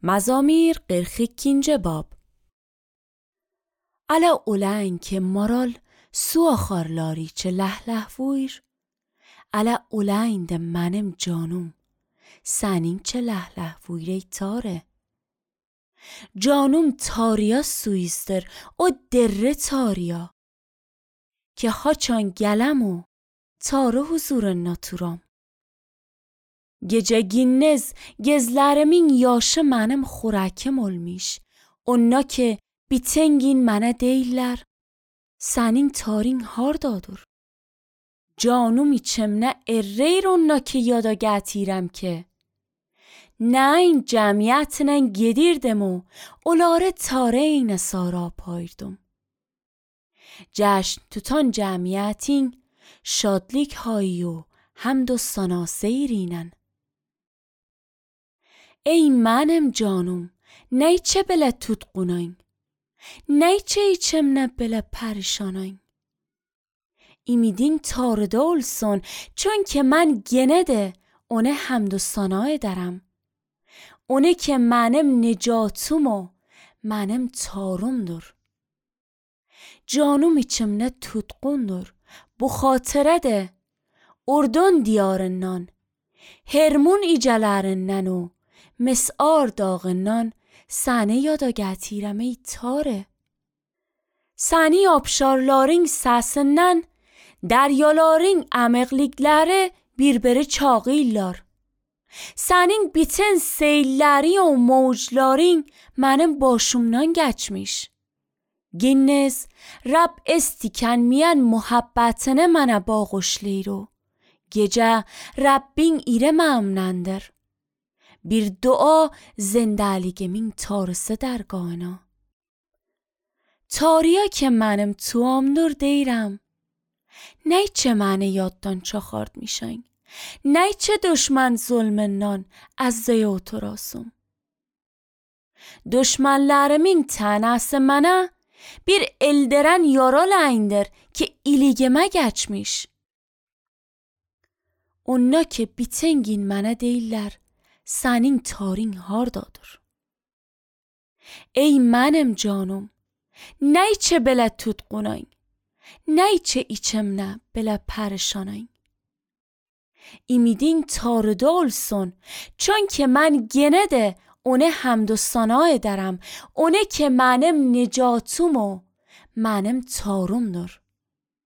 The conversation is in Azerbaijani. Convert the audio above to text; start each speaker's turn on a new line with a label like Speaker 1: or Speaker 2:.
Speaker 1: Mazamir 42. bab. Ala ulen ki moral suaxarlari çe lehvuir. Ala ulen de menem canum senin çe lehvuire tare. Canum tariya suister o derre tariya. Ki haçan gelemu tare huzur naturam. Gece ginnez gezlerimin yaşı menem xorakem olmiş. Onna ki bitengin mene değiller. Senin tarin hardadır. Canum içimne erreyr onna ki yada getirem ki. Nein cemiyetinen gedirdim o olare tare eyne sara payırdım. Cشن tutan cemiyetin şadlik hayu hamd و ثنا سیرینن. ای منم جانم نیچه بله tutqunayın. Neyçe içimne bile perişanayın. İmidin tarıda olsun çünkü ben gene de ona hamd و ثنا ederim. Ona ki benim necatum o benim tarumdur. Canım içimne tutqundur. Bu xatıre de Ordun diyarından, Hermon icelerinden o Mes'ar dağından seni yada getirem ey tare. Seni abşarların sesinden deryaların əməqlikləri birbiri çağıyırlar. Senin bütün seyilleri o mevcların benim başımdan geçmiş. Ginnez Rab istikenmeyen muhabbetine mənə bağışlayır o. Gece Rabbin ire memnundur. Bir dua zindeligimin tarısı dergahına. Tariya که منم توامdur دیرم. نیچه منه یاددان چخارد میشن. نیچه دشمن zulmünden از زیوت راسم. Düşmanlarımın tanesi mənə bir elderen yaralayındır ki iligime geçmiş. Onna ki bitengin mənə deyirlər, senin tarin hardadır. Ey mənim canım, نیچه بله tutqunayın. نیچه içimne bile perişanayın. İmidin tarıda olsun çünkü ben gene de ona hamd و ثنا ederim. Ona ki benim necatum o benim tarumdur.